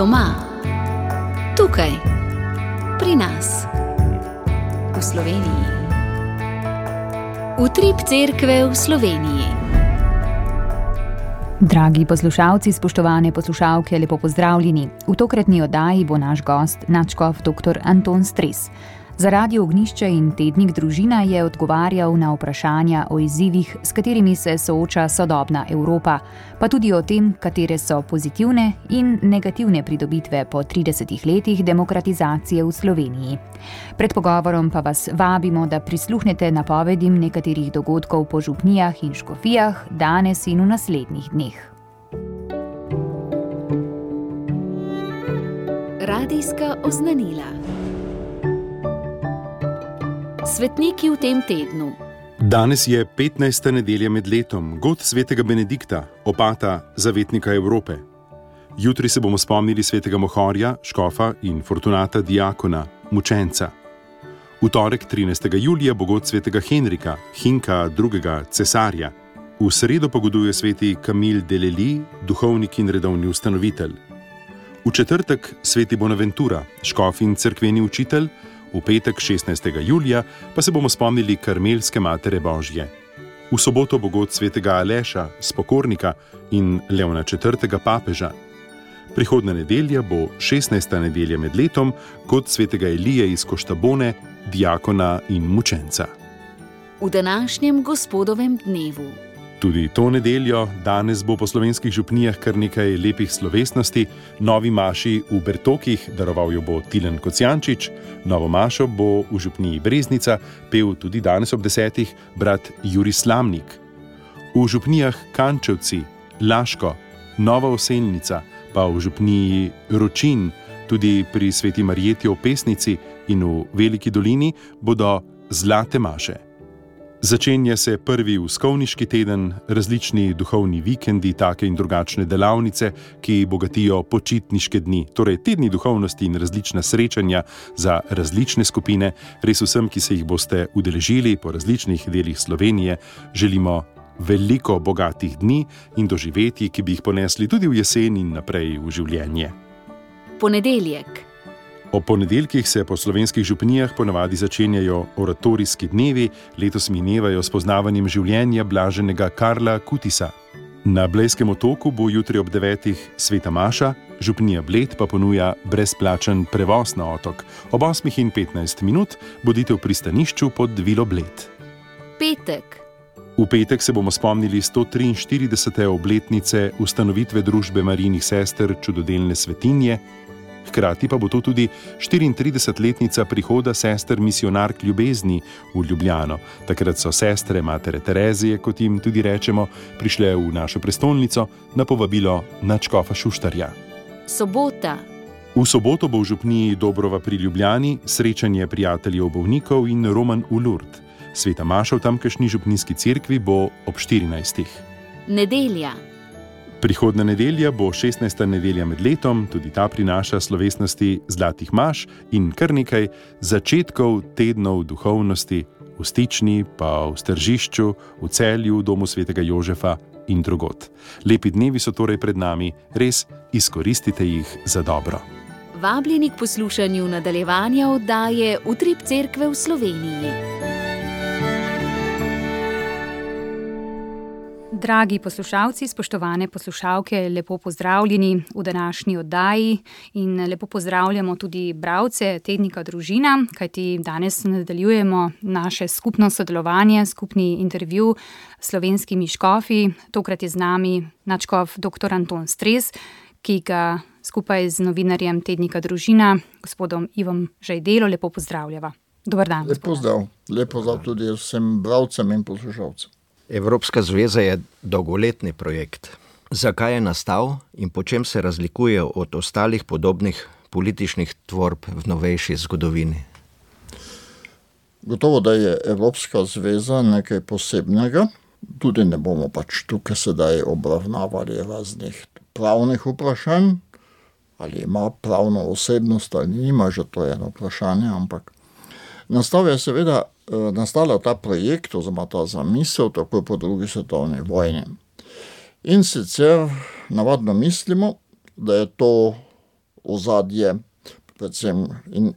Doma, tukaj, pri nas, v Sloveniji. Utrip cerkve v Sloveniji. Dragi poslušalci, spoštovane poslušalke, lepo pozdravljeni. V tokratni oddaji bo naš gost nadškof dr. Anton Stres. Za Radio Ognjišče in tednik Družina je odgovarjal na vprašanja o izzivih, s katerimi se sooča sodobna Evropa, pa tudi o tem, katere so pozitivne in negativne pridobitve po 30 letih demokratizacije v Sloveniji. Pred pogovorom pa vas vabimo, da prisluhnete napovedim nekaterih dogodkov po župnijah in škofijah danes in v naslednjih dneh. Radijska oznanila. Svetniki v tem tednu. Danes je 15. nedelja med letom, god svetega Benedikta, opata zavetnika Evrope. Jutri se bomo spomnili svetega Mohorja, škofa in Fortunata diakona, mučenca. V torek 13. julija bo god svetega Henrika, Hinka II. Cesarja. V sredo pa goduje sveti Camille de Lellis, duhovnik in redovni ustanovitelj. V četrtek sveti Bonaventura, škof in cerkveni učitelj. V petek 16. julija pa se bomo spomnili Karmelske matere Božje. V soboto bo god svetega Aleša, spokornika in Leona IV. Papeža. Prihodnja nedelja bo 16. nedelja med letom, god svetega Elije iz Koštabone, diakona in mučenca. V današnjem gospodovem dnevu. Tudi to nedeljo, danes bo po slovenskih župnijah kar nekaj lepih slovesnosti. Novi maši v Bertokih daroval jo bo Tilen Kocijančič, novo mašo bo v župniji Breznica pel tudi danes ob 10. brat Jurij Slamnik. V župnijah Kančevci, Laško, Nova Oselnica, pa v župniji Ročin, tudi pri sveti Marjeti ob Pesnici in v Veliki dolini bodo zlate maše. Začenja se prvi uskovniški teden, različni duhovni vikendi, take in drugačne delavnice, ki bogatijo počitniške dni, torej tedni duhovnosti in različna srečanja za različne skupine. Res vsem, ki se jih boste udeležili po različnih delih Slovenije, želimo veliko bogatih dni in doživetij, ki bi jih ponesli tudi v jesen in naprej v življenje. Ponedeljek. Ob ponedeljkih se po slovenskih župnijah ponavadi začenjajo oratorijski dnevi, letos minevajo s poznavanjem življenja blaženega Karla Kutisa. Na Blejskem otoku bo jutri ob 9. sveta maša, župnija Bled pa ponuja brezplačen prevoz na otok. Ob 8:15 bodite v pristanišču pod vilo Bled. Petek. V petek se bomo spomnili 143. obletnice ustanovitve družbe Marijinih sester Čudodelne svetinje. Hkrati pa bo to tudi 34-letnica prihoda sester misionark ljubezni v Ljubljano. Takrat so sestre matere Terezije, kot jim tudi rečemo, prišle v našo prestolnico na povabilo nadškofa Šuštarja. Sobota. V soboto bo v župniji Dobrova pri Ljubljani srečanje prijateljev bolnikov in roman v Lourdes. Sveta maša v tamkajšnji župnijski cerkvi bo ob 14. Nedelja. Prihodna nedelja bo 16. nedelja med letom, tudi ta prinaša slovesnosti zlatih maš in kar nekaj začetkov tednov duhovnosti v Stični, pa v Stržišču, v Celju, v domu svetega Jožefa in drugod. Lepi dnevi so torej pred nami, res izkoristite jih za dobro. Vabljeni k poslušanju nadaljevanja oddaje Utrip cerkve v Sloveniji. Dragi poslušalci, spoštovane poslušalke, lepo pozdravljeni v današnji oddaji in lepo pozdravljamo tudi bralce tednika Družina, kajti danes nadaljujemo naše skupno sodelovanje, skupni intervju s slovenskimi škofi. Tokrat je z nami nadškof dr. Anton Stres, ki ga skupaj z novinarjem tednika Družina, gospodom Ivom Žajdelo, lepo pozdravljava. Dobar dan. Lep pozdrav tudi vsem bralcem in poslušalcem. Evropska zveza je dolgoletni projekt. Zakaj je nastal in po čem se razlikuje od ostalih podobnih političnih tvorb v novejši zgodovini? Gotovo, da je Evropska zveza nekaj posebnega. Tudi ne bomo pač tukaj sedaj obravnavali raznih pravnih vprašanj, ali ima pravno osebnost ali nima, že to je eno vprašanje, ampak nastala ta projekt oziroma ta zamisel takoj po drugi svetovni vojni. In sicer navadno mislimo, da je to ozadje, predvsem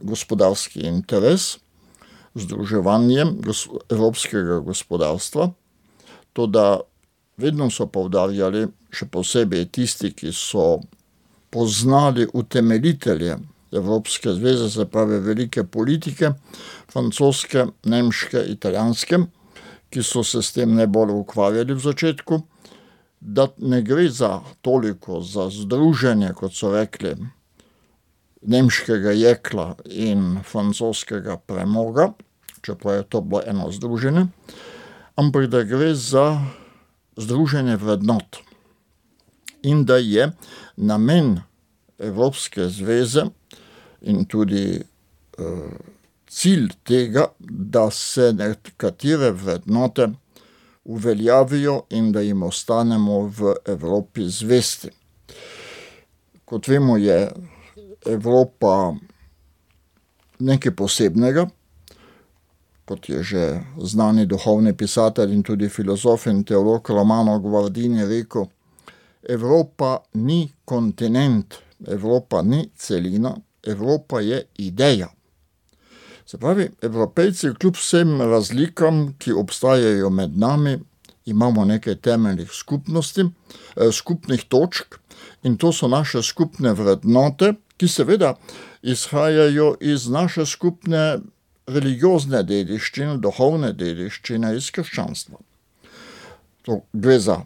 gospodarski interes, združevanje evropskega gospodarstva. Toda vedno so poudarjali, še posebej tisti, ki so poznali utemeljitelje Evropske zveze, se pravi velike politike, francoske, nemške, italijanske, ki so se s tem najbolj ukvarjali v začetku, da ne gre za toliko za združenje, kot so rekli, nemškega jekla in francoskega premoga, čeprav je to bilo eno združenje, ampak da gre za združenje vrednot in da je namen Evropske zveze in tudi cilj tega, da se nekatere vrednote uveljavijo in da jim ostanemo v Evropi zvesti. Kot vemo, je Evropa nekaj posebnega, kot je že znani duhovni pisatelj in tudi filozof in teolog Romano Guardini rekel, Evropa ni kontinent, Evropa ni celina, Evropa je ideja. Se pravi, Evropejci kljub vsem razlikam, ki obstajajo med nami, imamo nekaj temeljnih skupnih točk in to so naše skupne vrednote, ki seveda izhajajo iz naše skupne religiozne dediščine, duhovne dediščine iz krščanstva. To gre za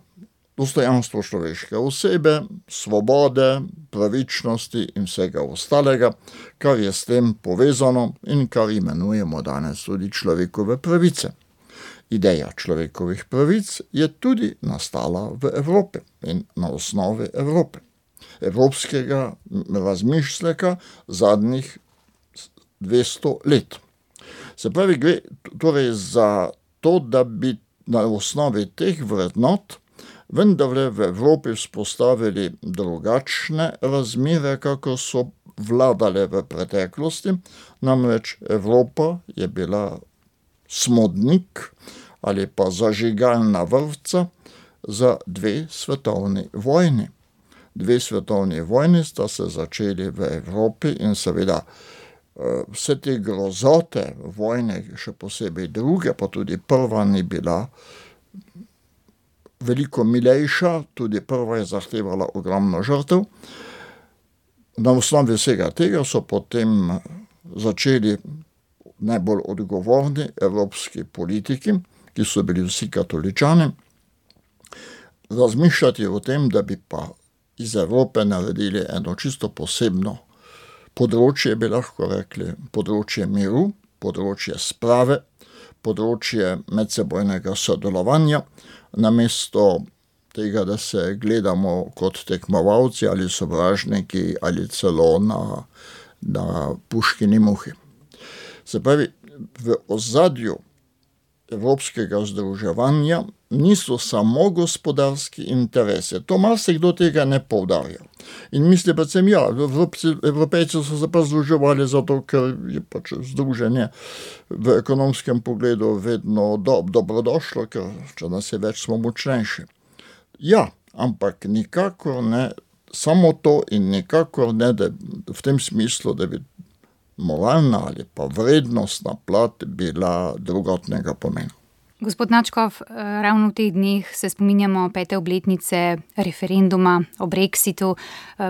dostojanstvo človeške osebe, svobode, pravičnosti in vsega ostalega, kar je s tem povezano in kar imenujemo danes tudi človekove pravice. Ideja človekovih pravic je tudi nastala v Evropi in na osnovi Evrope. Evropskega razmišljaka zadnjih 200 let. Se pravi, gre torej za to, da bi na osnovi teh vrednot vendarle v Evropi vzpostavili drugačne razmere, kako so vladale v preteklosti. Namreč Evropa je bila smodnik ali pa zažigalna vrvca za 2 svetovni vojni. 2 svetovni vojni sta se začeli v Evropi in seveda vse te grozote vojne, še posebej druge, pa tudi prva ni bila veliko milejša, tudi prva je zahtevala ogromno žrtev. Na osnovi vsega tega so potem začeli najbolj odgovorni evropski politiki, ki so bili vsi katoličani, razmišljati o tem, da bi pa iz Evrope naredili eno čisto posebno področje, bi lahko rekli, področje miru, področje sprave, področje medsebojnega sodelovanja, namesto tega, da se gledamo kot tekmovalci ali sovražniki ali celo na puškini muhi. Se pravi, v ozadju evropskega združevanja niso samo gospodarski interesi. To marsikdo tega ne poudarja. In misli predvsem, Evropejci so se pa združevali zato, ker je pač združenje v ekonomskem pogledu vedno dobrodošlo, ker če nas je več, smo močnejši. Ja, ampak nikakor ne samo to in nikakor ne da v tem smislu, da bi moralna ali pa vrednostna plat bila drugotnega pomena. Gospod Načkov, ravno v teh dneh se spominjamo 5. obletnice referenduma o Brexitu.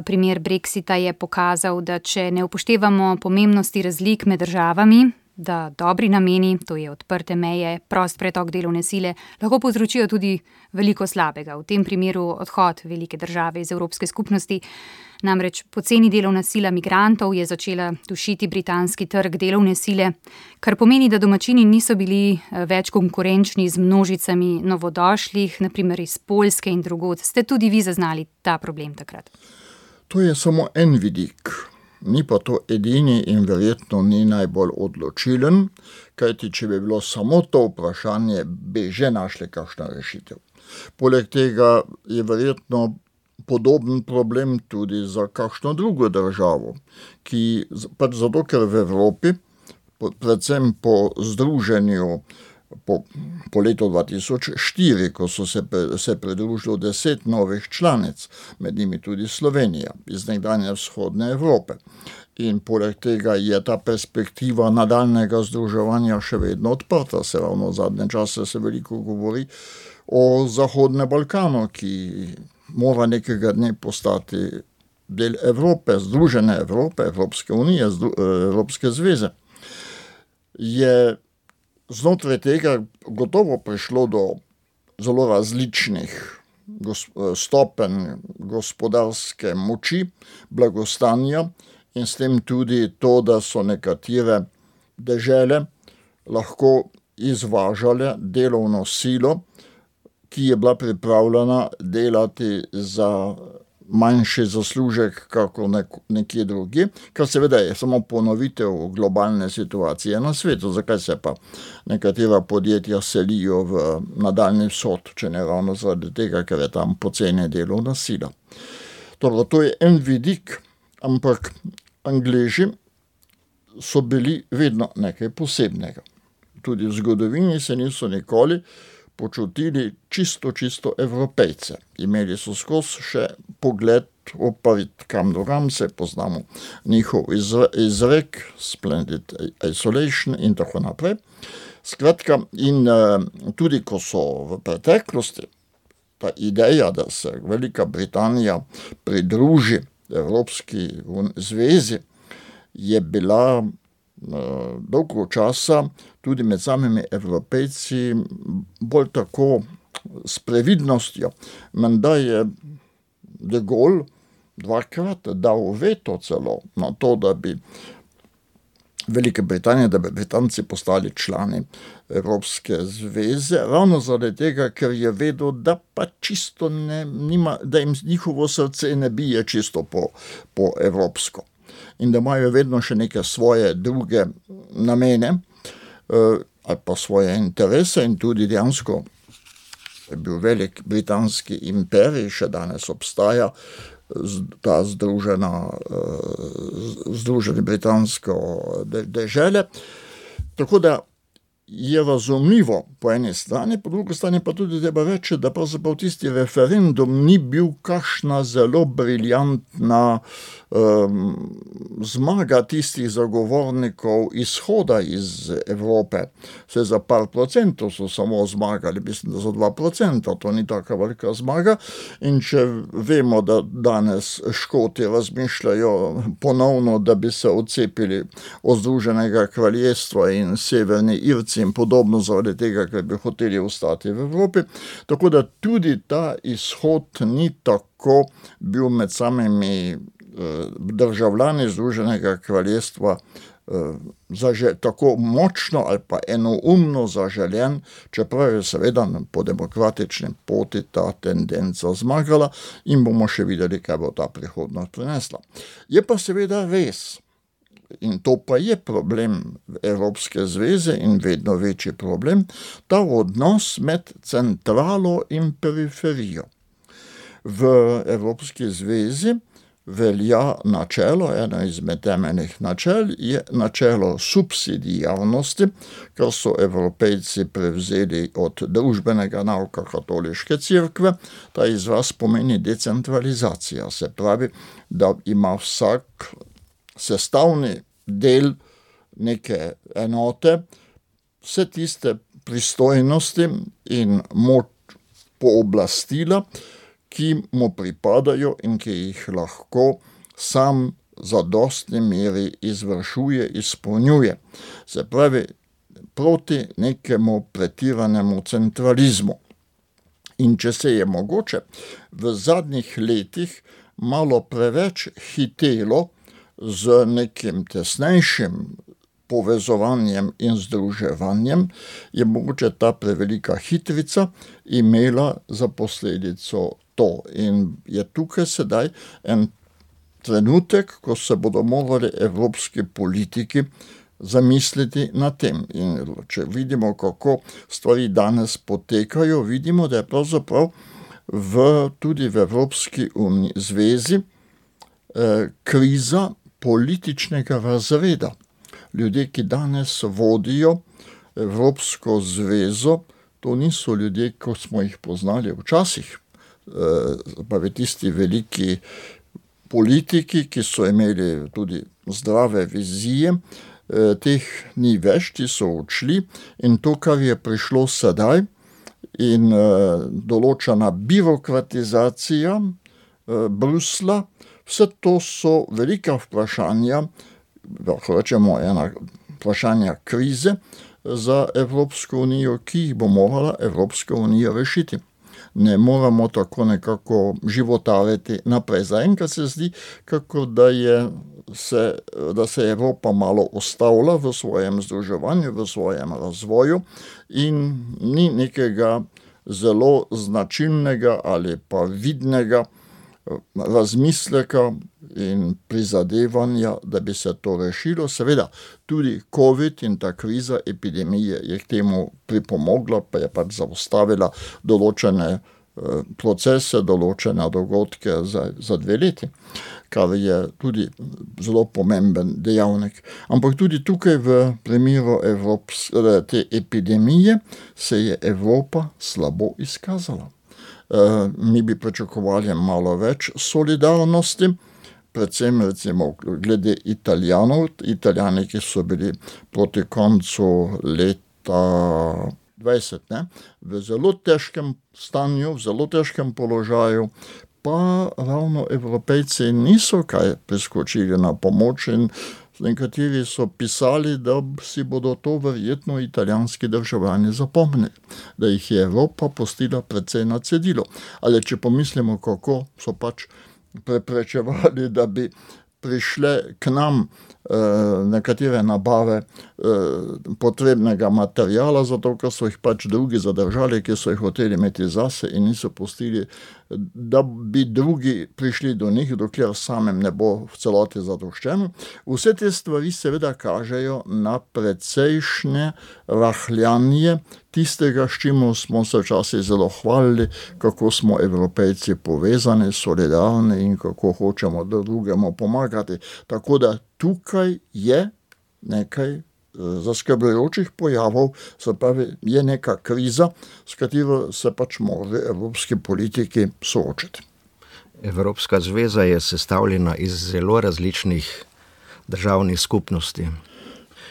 Primer Brexita je pokazal, da če ne upoštevamo pomembnosti razlik med državami, da dobri nameni, to je odprte meje, prost pretok delovne sile, lahko povzročijo tudi veliko slabega. V tem primeru odhod velike države iz Evropske skupnosti. Namreč poceni delovna sila migrantov je začela dušiti britanski trg delovne sile, kar pomeni, da domačini niso bili več konkurenčni z množicami novodošlih, naprimer iz Poljske in drugod. Ste tudi vi zaznali ta problem takrat? To je samo en vidik. Ni pa to edini in verjetno ni najbolj odločilen, kajti če bi bilo samo to vprašanje, bi že našli kakšna rešitev. Poleg tega je verjetno podoben problem tudi za kakšno drugo državo, ki pač zato, ker v Evropi, predvsem po združenju po letu 2004, ko so se pridružilo 10 novih članic, med njimi tudi Slovenija, iz nekdanje vzhodne Evrope. In poleg tega je ta perspektiva nadaljnega združevanja še vedno odprta. Se ravno v zadnje čase se veliko govori o Zahodnem Balkanu, ki mora nekega dne postati del Evrope, združene Evrope, Evropske unije, Evropske zveze. Je znotraj tega gotovo prišlo do zelo različnih stopenj gospodarske moči, blagostanja, in s tem tudi to, da so nekatere dežele lahko izvažale delovno silo, ki je bila pripravljena delati za manjši zaslužek kako nekje drugi, kar seveda je samo ponovitev globalne situacije na svetu. Zakaj se pa nekatera podjetja selijo v nadaljni vzhod, če ne ravno zaradi tega, ker je tam poceni delovna sila. Torej, to je en vidik, ampak Angleži so bili vedno nekaj posebnega. Tudi v zgodovini se niso nikoli počutili čisto Evropejce. Imeli so skozi še pogled oparit kam drugam, se poznamo njihov izrek, splendid isolation in tako naprej. Skratka, in tudi ko so v preteklosti ta ideja, da se Velika Britanija pridruži Evropski zvezi, je bila dolgo časa tudi med samimi Evropejci bolj tako s previdnostjo. Menda je de Gaulle dvakrat dal veto celo na to, da bi Velike Britanije, da bi Britanci postali člani Evropske zveze, ravno zaradi tega, ker je vedel, da pa čisto da jim njihovo srce ne bije čisto po evropsko. In da imajo vedno še neke svoje druge namene ali pa svoje interese, in tudi dejansko je bil velik britanski imperij, še danes obstaja ta združene britansko dežele. Tako da je razumljivo po eni strani, po drugi strani pa tudi treba reči, da pravzaprav tisti referendum ni bil kakšna zelo briljantna zmaga tistih zagovornikov izhoda iz Evrope. Vse za par procentov so samo zmagali, mislim, da za 2%, to ni taka velika zmaga. In če vemo, da danes Škoti razmišljajo ponovno, da bi se odcepili od Združenega kraljestva in Severni Irci in podobno, zaradi tega, ker bi hoteli ostati v Evropi. Tako da tudi ta izhod ni tako bil med samimi državljani Združenega kraljestva tako močno ali pa enoumno zaželjen, čeprav je seveda po demokratični poti ta tendenca zmagala, in bomo še videli, kaj bo ta prihodnost prinesla. Je pa seveda res, in to pa je problem Evropske zveze in vedno večji problem, ta odnos med centralo in periferijo. V Evropski zvezi velja načelo, eno izmed temeljnih načel je načelo subsidijarnosti, kar so Evropejci prevzeli od družbenega nauka katoliške cerkve. Ta izraz pomeni decentralizacija, se pravi, da ima vsak sestavni del neke enote vse tiste pristojnosti in moč pooblastila, ki mu pripadajo in ki jih lahko sam zadostni meri izvršuje, izpolnjuje. Se pravi, proti nekemu pretiranemu centralizmu. In če se je mogoče v zadnjih letih malo preveč hitelo z nekim tesnejšim povezovanjem in združevanjem, je mogoče ta prevelika hitrica imela za posledico to. In je tukaj sedaj en trenutek, ko se bodo morali evropski politiki zamisliti na tem. In če vidimo, kako stvari danes potekajo, vidimo, da je pravzaprav tudi v Evropski zvezi kriza političnega razreda. Ljudje, ki danes vodijo Evropsko zvezo, to niso ljudje, kot smo jih poznali včasih, pa tisti veliki politiki, ki so imeli tudi zdrave vizije, teh ni več, ti so odšli in to, kar je prišlo sedaj in določena birokratizacija Brusla, vse to so velika vprašanja, lahko rečemo ena vprašanja krize za Evropsko unijo, ki jih bo morala Evropska unija rešiti. Ne moramo tako nekako životariti naprej. Zaenkrat se zdi, kako da se Evropa malo ustavlja v svojem združevanju, v svojem razvoju in ni nekega zelo značilnega ali pa vidnega razmisleka in prizadevanja, da bi se to rešilo. Seveda, tudi COVID in ta kriza epidemije je k temu pripomogla, pa je pač zaustavila določene procese, določene dogodke za 2 leti, kar je tudi zelo pomemben dejavnik. Ampak tudi tukaj v primeru te epidemije se je Evropa slabo izkazala. Mi bi pričakovali malo več solidarnosti, predvsem recimo glede Italijanov, Italijani, ki so bili proti koncu leta 20, v zelo težkem stanju, v zelo težkem položaju, pa ravno Evropejci niso kaj priskočili na pomoč in nekateri so pisali, da si bodo to verjetno italijanski državljani zapomnili, da jih je Evropa pustila precej na cedilu. Ali če pomislimo, kako so pač preprečevali, da bi prišle k nam nekatere nabave potrebnega materiala, zato ker so jih pač drugi zadržali, ki so jih hoteli imeti zase in niso pustili, da bi drugi prišli do njih, dokler samem ne bo v celoti zadoščeno. Vse te stvari seveda kažejo na precejšnje rahljanje tistega, s čimer smo se včasih zelo hvalili, kako smo Evropejci povezani, solidarni in kako hočemo drugemu pomagati. Tako da tukaj je nekaj zaskrbljujočih pojavov, se pravi, je neka kriza, s katero se pač morajo evropski politiki soočiti. Evropska zveza je sestavljena iz zelo različnih državnih skupnosti.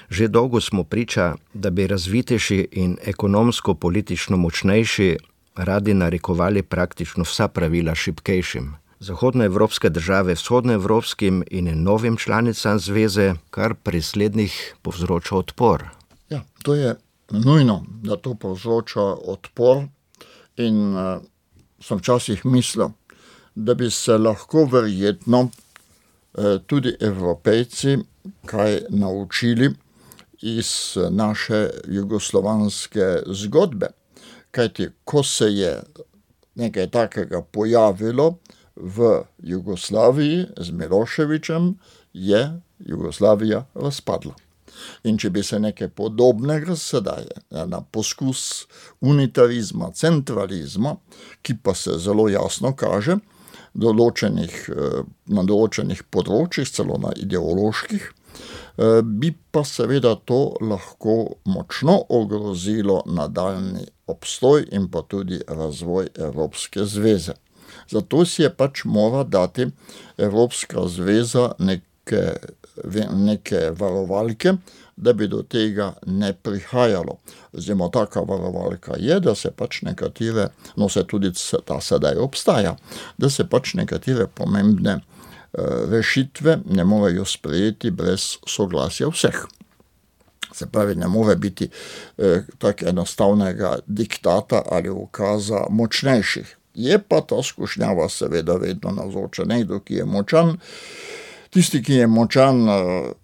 Že dolgo smo priča, da bi razvitejši in ekonomsko-politično močnejši radi narekovali praktično vsa pravila šibkejšim. Zahodnoevropske države vzhodnoevropskim in novim članicam zveze, kar pri slednjih povzroča odpor. Ja, to je nujno, da to povzroča odpor in sem včasih mislil, da bi se lahko verjetno tudi Evropejci kaj naučili iz naše jugoslovanske zgodbe. Kajti, ko se je nekaj takega pojavilo v Jugoslaviji z Miloševićem, je Jugoslavija razpadla. In če bi se nekaj podobnega sedaj na poskus unitarizma, centralizma, ki pa se zelo jasno kaže na določenih področjih, celo na ideoloških, bi pa seveda to lahko močno ogrozilo nadaljnji obstoj in pa tudi razvoj Evropske zveze. Zato si je pač mora dati Evropska zveza neke varovalke, da bi do tega ne prihajalo. Zdaj, taka varovalka je, da se pač nekatere, no se tudi ta sedaj obstaja, da se pač nekatere pomembne rešitve ne morejo sprejeti brez soglasja vseh. Se pravi, ne more biti tak enostavnega diktata ali ukaza močnejših. Je pa ta skušnjava seveda vedno navzoča. Nekdo, ki je močan, tisti, ki je močan,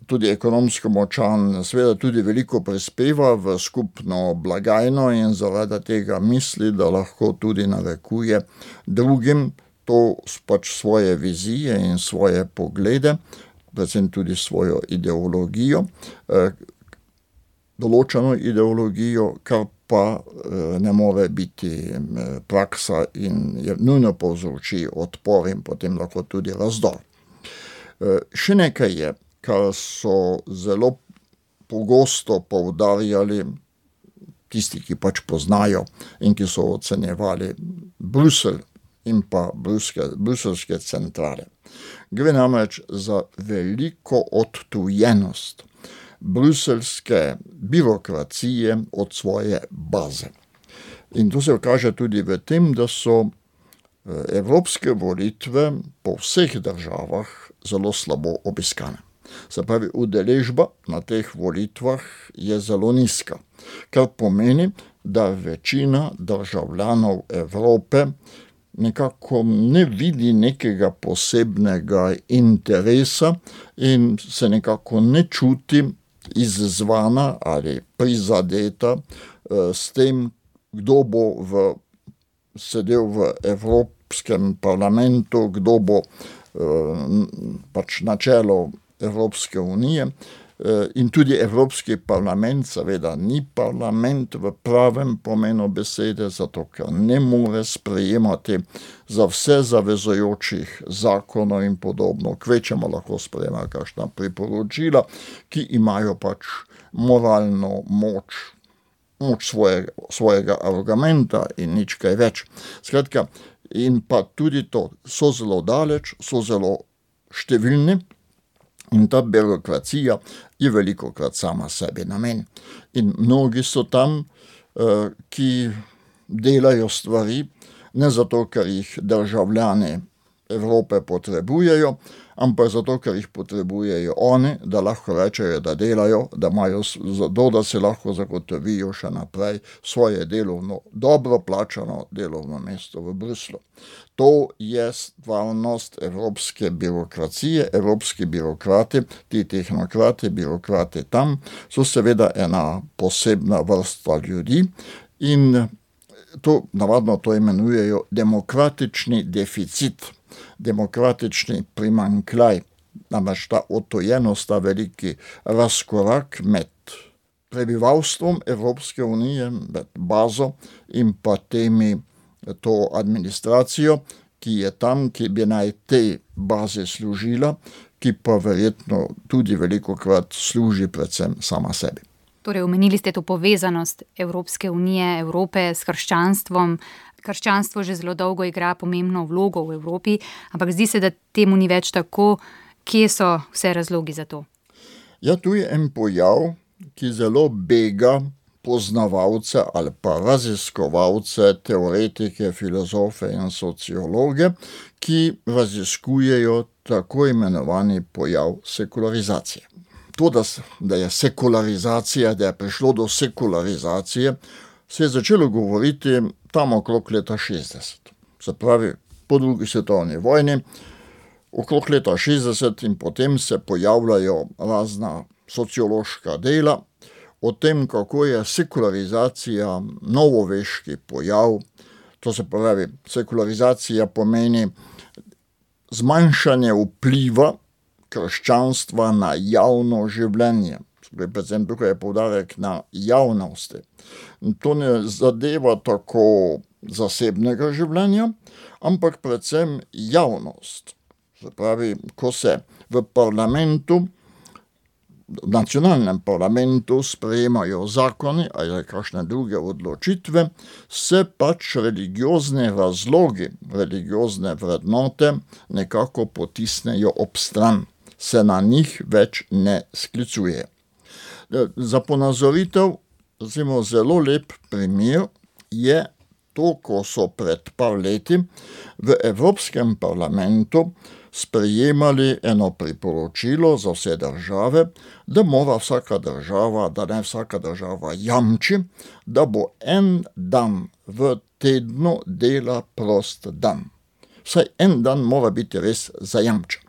tudi ekonomsko močan, seveda tudi veliko prispeva v skupno blagajno in zaradi tega misli, da lahko tudi narekuje drugim to pač svoje vizije in svoje poglede, predvsem tudi svojo ideologijo, določeno ideologijo, kar pa ne more biti praksa in je nujno povzroči odpor in potem lahko tudi razdor. Še nekaj je, kar so zelo pogosto poudarjali tisti, ki pač poznajo in ki so ocenjevali Bruselj in pa bruselske centrale. Gre namreč za veliko odtujenost bruselske birokracije od svoje baze. In to se kaže tudi v tem, da so evropske volitve po vseh državah zelo slabo obiskane. Se pravi, udeležba na teh volitvah je zelo nizka, kar pomeni, da večina državljanov Evrope nekako ne vidi nekega posebnega interesa in se nekako ne čuti izzvana ali prizadeta s tem, kdo bo sedel v Evropskem parlamentu, kdo bo pač na čelu Evropske unije. In tudi Evropski parlament seveda ni parlament v pravem pomenu besede, zato ker ne more sprejemati za vse zavezujočih zakonov in podobno. Kvečemo lahko sprejema kakšna priporočila, ki imajo pač moralno moč svojega argumenta in nič kaj več. Skratka, in pa tudi to, so zelo daleč, so zelo številni, in ta birokracija je velikokrat sama sebi namen. In mnogi so tam, ki delajo stvari, ne zato, ker jih državljani Evrope potrebujejo, ampak zato, ker jih potrebujejo oni, da lahko rečejo, da delajo, da imajo zato, da se lahko zagotovijo še naprej svoje delovno, dobro plačano delovno mesto v Bruslu. To je stvarnost evropske birokracije, evropski birokrati, ti tehnokrati, birokrati tam, so seveda ena posebna vrsta ljudi in navadno to imenujejo demokratični deficit, demokratični primanjkljaj, namreč ta odtujenost, ta veliki razkorak med prebivalstvom Evropske unije, med bazo in pa to administracijo, ki je tam, ki bi naj tej bazi služila, ki pa verjetno tudi velikokrat služi predvsem sama sebi. Torej, omenili ste to povezanost Evropske unije, Evrope s krščanstvom. Krščanstvo že zelo dolgo igra pomembno vlogo v Evropi, ampak zdi se, da temu ni več tako. Kje so vse razlogi za to? Ja, tu je en pojav, ki zelo bega poznavalce ali pa raziskovalce, teoretike, filozofe in sociologe, ki raziskujejo tako imenovani pojav sekularizacije. To, da je sekularizacija, da je prišlo do sekularizacije, se je začelo govoriti tam okrog leta 60. Se pravi, po drugi svetovni vojni, okrog leta 60 in potem se pojavljajo razna sociološka dela o tem, kako je sekularizacija novoveški pojav. To se pravi, sekularizacija pomeni zmanjšanje vpliva krščanstva na javno življenje. Predvsem tukaj je poudarek na javnosti. To ne zadeva tako zasebnega življenja, ampak predvsem javnost. Se pravi, ko se v parlamentu, v nacionalnem parlamentu sprejemajo zakoni ali kakšne druge odločitve, se pač religiozne razlogi, religiozne vrednote nekako potisnejo ob stran, se na njih več ne sklicuje. Za ponazoritev, recimo zelo lep primer je to, ko so pred par leti v Evropskem parlamentu sprejemali eno priporočilo za vse države, da mora vsaka država, da ne vsaka država jamči, da bo en dan v tednu dela prost dan. Vsaj en dan mora biti res zajamčen.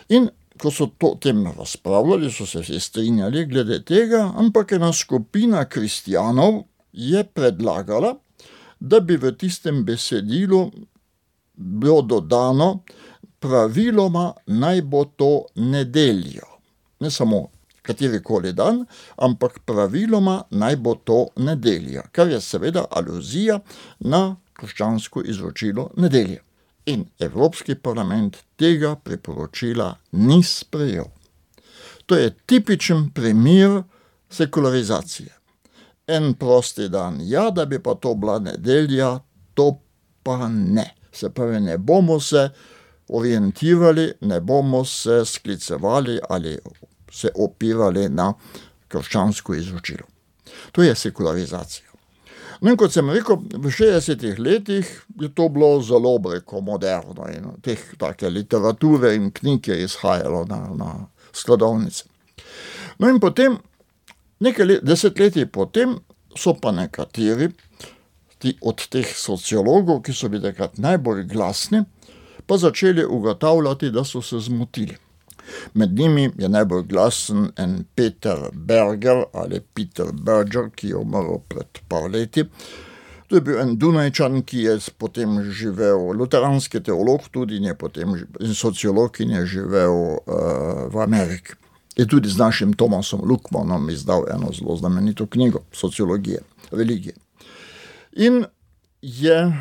In ko so o tem razpravljali, so se vsi strinjali glede tega, ampak ena skupina kristjanov je predlagala, da bi v tistem besedilu bilo dodano praviloma naj bo to nedeljo. Ne samo katerikoli dan, ampak praviloma naj bo to nedelja, kar je seveda aluzija na krščansko izročilo nedelje. In Evropski parlament tega priporočila ni sprejel. To je tipičen primer sekularizacije. en prosti dan, ja, da bi pa to bila nedelja, to pa ne. Se pravi, ne bomo se orientirali, ne bomo se sklicevali ali se opirali na krščansko izročilo. To je sekularizacija. No in kot sem rekel, v 60 letih je to bilo zelo moderno in take literature in knjig je izhajalo na skladovnice. No in potem, nekaj desetletij potem, so pa nekateri od teh sociologov, ki so bili takrat najbolj glasni, pa začeli ugotavljati, da so se zmotili. Med njimi je najbolj glasen en Peter Berger ali Peter Berger, ki je umrl pred par leti. To je bil en Dunajčan, ki je potem živel, luteranski teolog tudi, in sociolog, ki je živel v Ameriki. Je tudi z našim Thomasom Luckmannom izdal eno zelo znamenito knjigo sociologije, religije. In je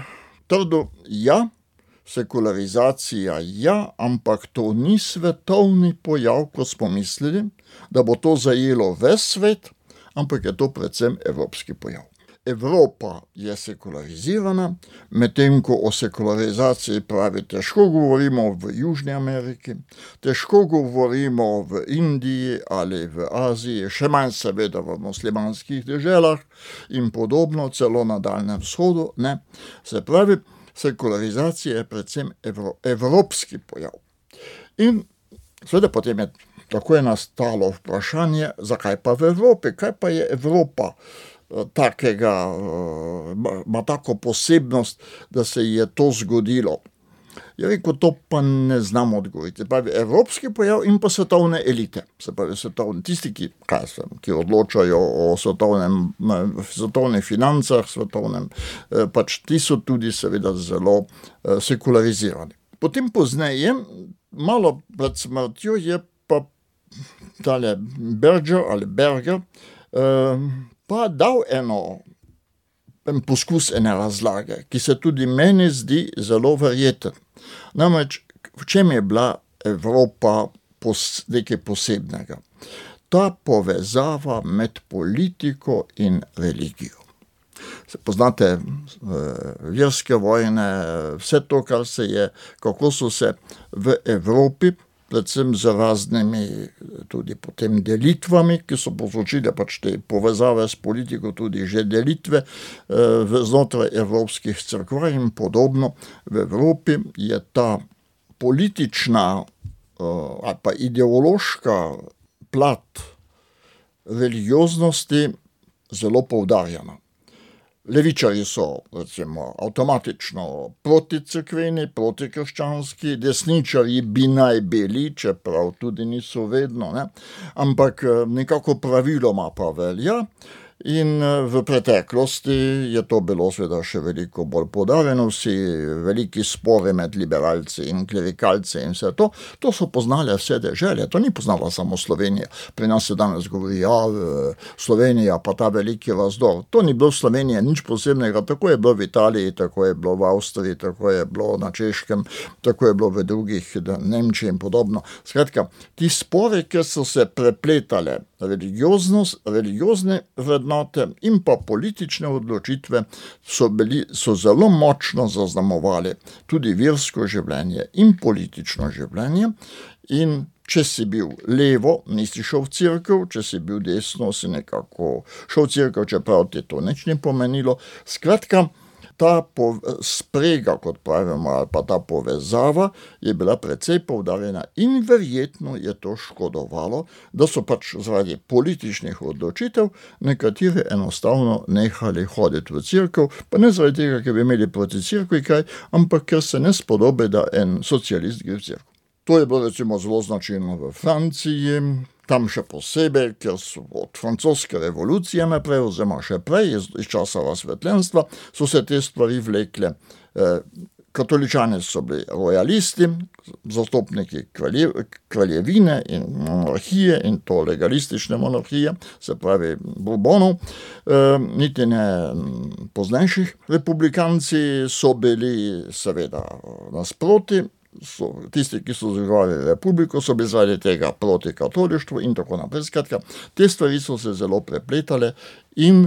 trdil, ja, sekularizacija, ja, ampak to ni svetovni pojav, ko smo mislili, da bo to zajelo ves svet, ampak je to predvsem evropski pojav. Evropa je sekularizirana, medtem ko o sekularizaciji pravi, težko govorimo v Južni Ameriki, težko govorimo v Indiji ali v Aziji, še manj seveda v muslimanskih deželah in podobno, celo na Daljnem vzhodu, ne. Se pravi, sekularizacija je predvsem evropski pojav. In seveda potem tako je nastalo vprašanje, zakaj pa v Evropi, kaj pa je Evropa ima tako posebnost, da se je to zgodilo. Je rekel, to pa ne znam odgovoriti. Pravi, evropski pojav in pa svetovne elite. Se pravi, tisti, ki odločajo o svetovnih financah, pač ti so tudi seveda zelo sekularizirani. Potem pozneje, malo pred smrtjo, je pa tale Berger pa dal en poskus ene razlage, ki se tudi meni zdi zelo verjeten. Namreč, v čem je bila Evropa nekaj posebnega? Ta povezava med politiko in religijo. Poznate verske vojne, vse to, kar se je, kako so se v Evropi, predvsem z raznimi tudi potem delitvami, ki so povzročile pač te povezave s politiko, tudi že delitve znotraj evropskih cerkva in podobno. V Evropi je ta politična ali pa ideološka plat religioznosti zelo poudarjena. Levičarji so, recimo, avtomatično proticerkveni, protikrščanski, desničarji bi naj bili, čeprav tudi niso vedno, ne? Ampak nekako praviloma pa velja. In v preteklosti je to bilo seveda še veliko bolj poudarjeno, vsi veliki spori med liberalci in klerikalci in vse to. To so poznale vse dežele, to ni poznala samo Slovenija. Pri nas se danes govori, Slovenija pa ta veliki razdor. To ni bilo v Sloveniji nič posebnega, tako je bilo v Italiji, tako je bilo v Avstriji, tako je bilo na Češkem, tako je bilo v drugih, Nemčiji in podobno. Skratka, ti spori, ki so se prepletale, religiozne vrednote in pa politične odločitve so zelo močno zaznamovali tudi versko življenje in politično življenje. In če si bil levo, nisi šel v cerkev, če si bil desno, si nekako šel v cerkev, čeprav ti to nič ni pomenilo. Skratka, ta sprega, kot pravimo, ali pa ta povezava je bila precej poudarjena in verjetno je to škodovalo, da so pač zaradi političnih odločitev nekateri enostavno nehali hoditi v cerkev, pa ne zaradi tega, ker bi imeli proti cerkvi kaj, ampak ker se ne spodobi, da en socialist gre v cerkev. To je bilo recimo zelo značilno v Franciji, tam še posebej, ker so od francoske revolucije naprej, oziroma še prej, iz časa razsvetljenstva, so se te stvari vlekle. Katoličani so bili rojalisti, zastopniki kraljevine in monarhije in to legalistične monarhije, se pravi Bourbonov, niti ne poznejših. Republikanci so bili seveda nasproti, tisti, ki so zagovarjali republiko, so bili zaradi tega proti katolištvu in tako naprej. Skratka, te stvari so se zelo prepletale in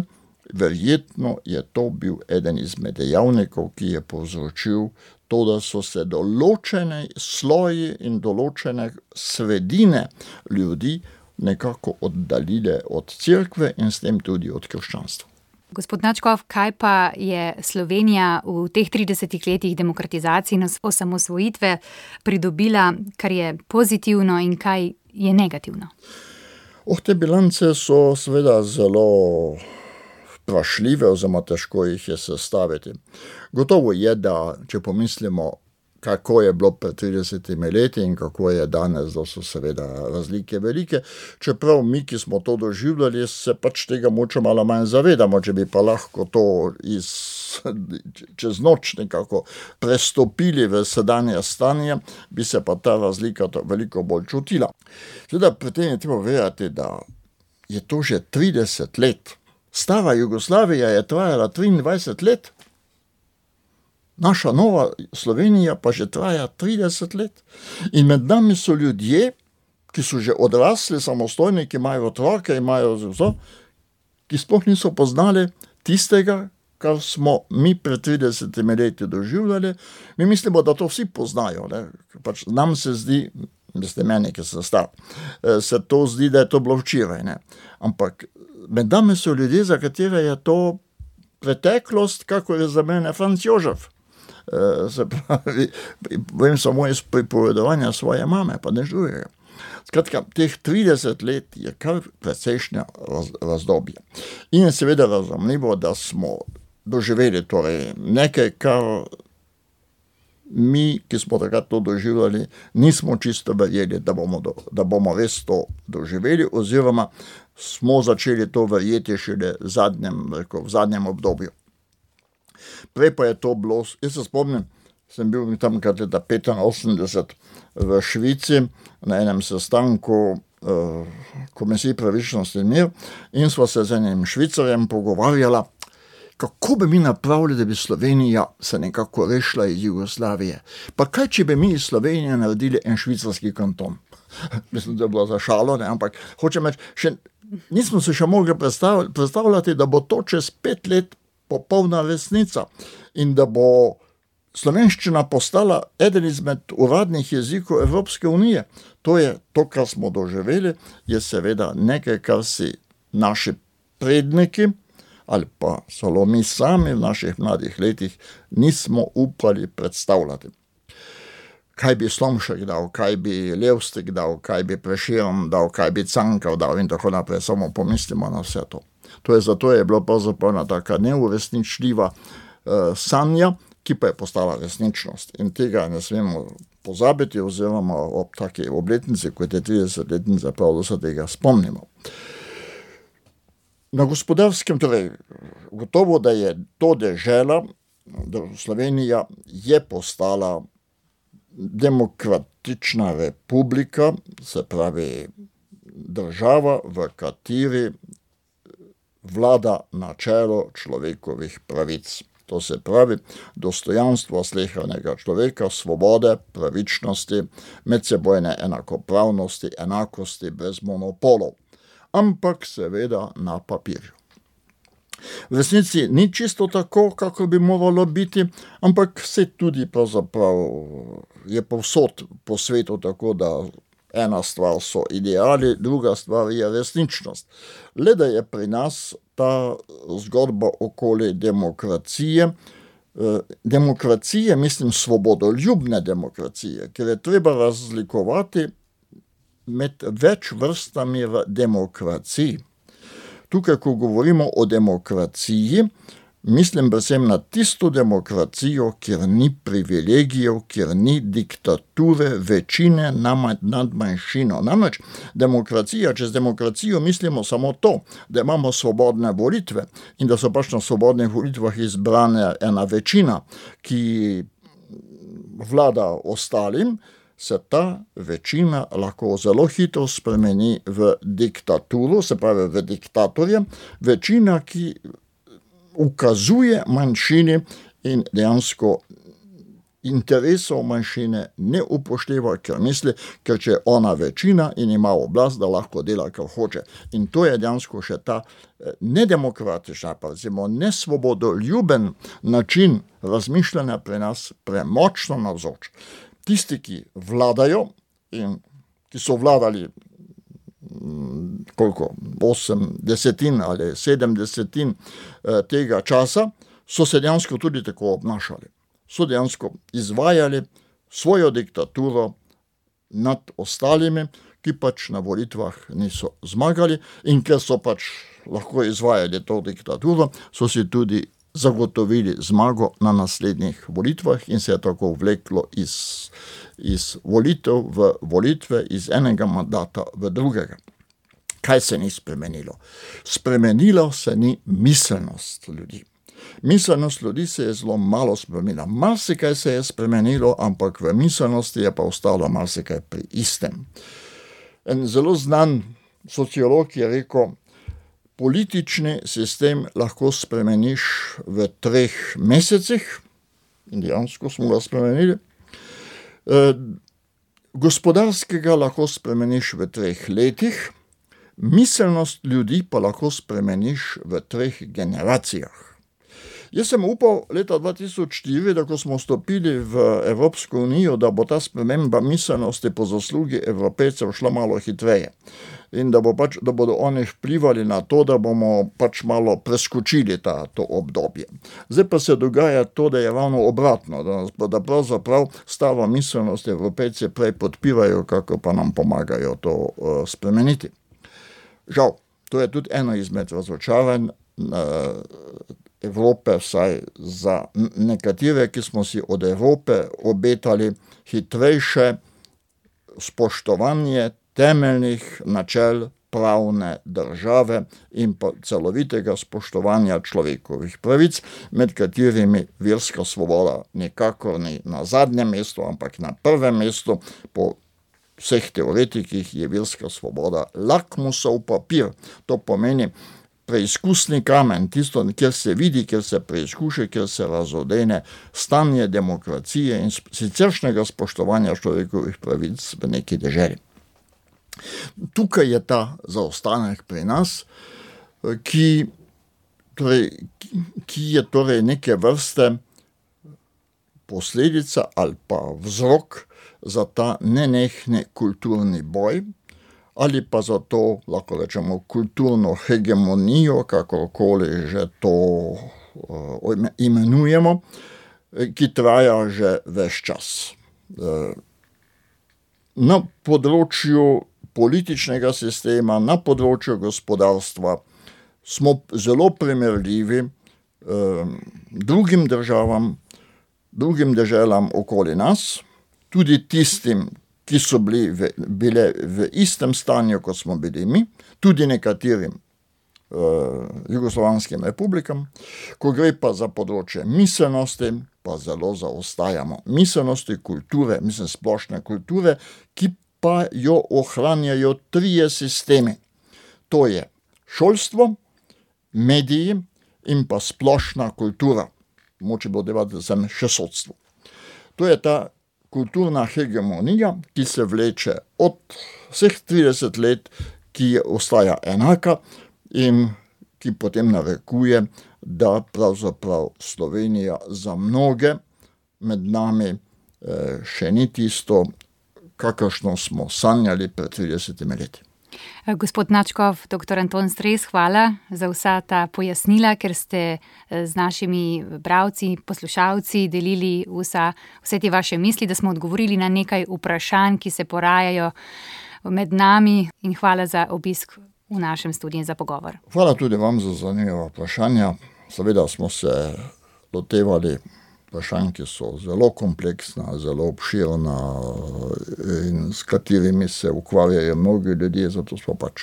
Verjetno je to bil eden izmed dejavnikov, ki je povzročil to, da so se določene sloji in določene sredine ljudi nekako oddaljile od cerkve in s tem tudi od krščanstva. Gospod Načkov, kaj pa je Slovenija v teh 30 letih demokratizacije in osamosvojitve pridobila, kar je pozitivno in kaj je negativno? Te bilance so seveda zelo vprašljive, oziroma težko jih je sestaviti. Gotovo je, da če pomislimo, kako je bilo pred 30 leti in kako je danes, da so seveda razlike velike, čeprav mi, ki smo to doživljali, se pač tega moče malo manj zavedamo, če bi pa lahko to čez noč nekako prestopili v sedanje stanje, bi se pa ta razlika veliko bolj čutila. Seveda pri tem je treba vedeti, da je to že 30 let. Stara Jugoslavija je trajala 23 let. Naša nova Slovenija pa že traja 30 let. In med nami so ljudje, ki so že odrasli, samostojni, ki imajo otroke, imajo vse, ki sploh niso poznali tistega, kar smo mi pred 30 leti doživljali. Mi mislimo, da to vsi poznajo. Ne? Pač nam se zdi, meni, ki sem star, se to zdi, da je to bilo včeraj. Ne? Ampak med nami so ljudje, za katere je to preteklost, kako je za mene Franc Jožef. Se pravi, vem samo iz pripovedovanja svoje mame, pa ne žuje. Skratka, teh 30 let je kar precejšnja razdobje. In je seveda razumljivo, da smo doživeli torej nekaj, kar mi, ki smo takrat to doživljali, nismo čisto verjeli, da bomo res to doživeli, oziroma smo začeli to verjeti šele v zadnjem obdobju. Prej pa je to bilo, jaz se spomnim, sem bil tam leta 85 v Švici na enem sestanku Komisije pravičnosti in mir in sva se z enim Švicarjem pogovarjala, kako bi mi napravili, da bi Slovenija se nekako rešila iz Jugoslavije. Pa kaj, če bi mi iz Slovenije naredili en švicarski kanton? Mislim, da je bilo za šalo, ne? Ampak hočem reči, nismo se še mogli predstavljati, da bo to čez 5 let popolna resnica in da bo slovenščina postala eden izmed uradnih jezikov Evropske unije. To je to, kar smo doživeli, je seveda nekaj, kar si naši predniki ali pa celo mi sami v naših mladih letih nismo upali predstavljati. Kaj bi Slomšek dal, kaj bi Levstik dal, kaj bi Prešeren dal, kaj bi Cankar dal in tako naprej, samo pomislimo na vse to. Zato je bilo pravzaprav ena taka neuresničljiva sanja, ki pa je postala resničnost. In tega ne smemo pozabiti, oziroma ob taki obletnici, kot je 30-letnica, prav da se tega spomnimo. Na gospodarskem, torej, gotovo, da je to dežela, da Slovenija je postala demokratična republika, se pravi država, v kateri vlada načelo človekovih pravic. To se pravi dostojanstvo slehernega človeka, svobode, pravičnosti, medsebojne enakopravnosti, enakosti brez monopolov. Ampak seveda na papirju. V resnici ni čisto tako, kako bi moralo biti, ampak se tudi pravzaprav je povsod po svetu tako, da ena stvar so ideali, druga stvar je resničnost. Le da je pri nas ta zgodba okoli demokracije, mislim svobodoljubne demokracije, ker je treba razlikovati med več vrstami v demokraciji. Tukaj, ko govorimo o demokraciji, mislim predvsem na tisto demokracijo, kjer ni privilegijev, kjer ni diktature večine nad manjšino. Namreč demokracija, čez demokracijo mislimo samo to, da imamo svobodne volitve in da so pač na svobodnih volitvah izbrane ena večina, ki vlada ostalim, se ta večina lahko zelo hitro spremeni v diktaturo, se pravi v diktatorja, večina, ki ukazuje manjšini in dejansko interesov manjšine ne upošteva, ker misli, ker če je ona večina in ima oblast, da lahko dela, kar hoče. In to je dejansko še ta nedemokratična, pa recimo nesvobodoljuben način razmišljanja pri nas premočno navzoč. Tisti, ki vladajo in ki so vladali 8/10 ali 7/10 tega časa, so se dejansko tudi tako obnašali. So dejansko izvajali svojo diktaturo nad ostalimi, ki pač na volitvah niso zmagali, in ker so pač lahko izvajali to diktaturo, so si tudi zagotovili zmago na naslednjih volitvah in se je tako vleklo iz volitev v volitve, iz enega mandata v drugega. Kaj se ni spremenilo? Spremenilo se ni miselnost ljudi. Miselnost ljudi se je zelo malo spremenila. Marsikaj se je spremenilo, ampak v miselnosti je pa ostalo marsikaj pri istem. En zelo znan sociolog je rekel, politični sistem lahko spremeniš v 3 mesecih, in dejansko smo ga spremenili. Gospodarskega lahko spremeniš v 3 letih, miselnost ljudi pa lahko spremeniš v 3 generacijah. Jaz sem upal leta 2004, da ko smo vstopili v Evropsko unijo, da bo ta sprememba miselnosti po zaslugi Evropejcev šla malo hitreje. In da bodo oni vplivali na to, da bomo pač malo preskočili to obdobje. Zdaj pa se dogaja to, da je ravno obratno, da pravzaprav staro miselnost Evropejci prej podpirajo, kako pa nam pomagajo to spremeniti. Žal, to je tudi eno izmed razočaranj Evrope, vsaj za nekatere, ki smo si od Evrope obetali hitrejše spoštovanje temeljnih načel pravne države in pa celovitega spoštovanja človekovih pravic, med katerimi verska svoboda nikakor ni na zadnjem mestu, ampak na prvem mestu. Po vseh teoretikih je verska svoboda lakmusov papir. To pomeni preizkusni kamen, tisto, kjer se vidi, kjer se preizkuša, kjer se razodene stanje demokracije in siceršnjega spoštovanja človekovih pravic v neki deželi. Tukaj je ta zaostanek pri nas, ki je torej neke vrste posledica ali pa vzrok za ta nenehni kulturni boj, ali pa za to, lahko rečemo, kulturno hegemonijo, kakorkoli že to imenujemo, ki traja že ves čas. Na področju političnega sistema, na področju gospodarstva smo zelo primerljivi drugim državam, drugim deželam okoli nas, tudi tistim, ki so bile v istem stanju, kot smo bili mi, tudi nekaterim jugoslovanskim republikam. Ko gre pa za področje miselnosti, pa zelo zaostajamo. Miselnosti, kulture, splošne kulture, ki pa jo ohranjajo 3 sistemi. To je šolstvo, mediji in pa splošna kultura. Moče bo devati sem še sodstvo. To je ta kulturna hegemonija, ki se vleče od vseh 30 let, ki ostaja enaka in ki potem narekuje, da pravzaprav Slovenija za mnoge med nami še ni tisto, kakršno smo sanjali pred 30 leti. Gospod Načkov, dr. Anton Stres, hvala za vsa ta pojasnila, ker ste z našimi bralci, poslušalci delili vse te vaše misli, da smo odgovorili na nekaj vprašanj, ki se porajajo med nami, in hvala za obisk v našem studiu za pogovor. Hvala tudi vam za zanimiva vprašanja. Seveda smo se lotevali vprašanj, ki so zelo kompleksna, zelo obširna in s katerimi se ukvarjajo mnogi ljudje, zato smo pač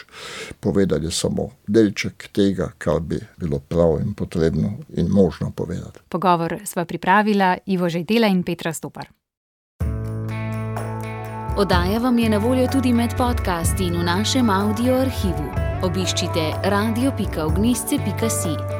povedali samo delček tega, kar bi bilo prav in potrebno in možno povedati. Pogovor sva pripravila Ivo Žejdela in Petra Stopar. Oddaja vam je na voljo tudi med podcasti in v našem audio arhivu. Obiščite radio.ognisce.si.